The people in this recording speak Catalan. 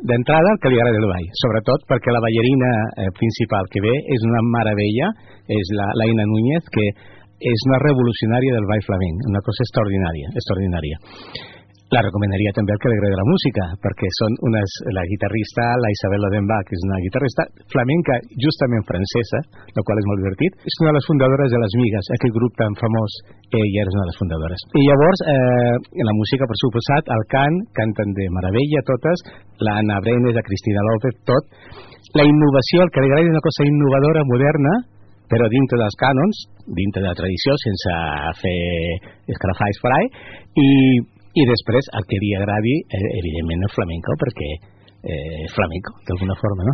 d'entrada el que li agrada el ball, sobretot perquè la ballarina principal que ve és una meravella, és l'Aina Núñez, que és una revolucionària del ball flamenc, una cosa extraordinària. La recomanaria també al que li agrada la música, perquè són la guitarrista, la Isabel Odenbach, que és una guitarrista flamenca, justament francesa, el qual és molt divertit. És una de les fundadores de Les Migues, aquell grup tan famós, ella és una de les fundadores. I llavors, la música, per suposat, el cant, canten de meravella totes, la Ana Brenes, la Cristina López, tot. La innovació, el que li agrada és una cosa innovadora, moderna, però dintre dels cànons, dintre de la tradició, sense fer escarafalls per ahí, i després el que li agradi evidentment el flamenco, perquè flamenco d'alguna forma, no?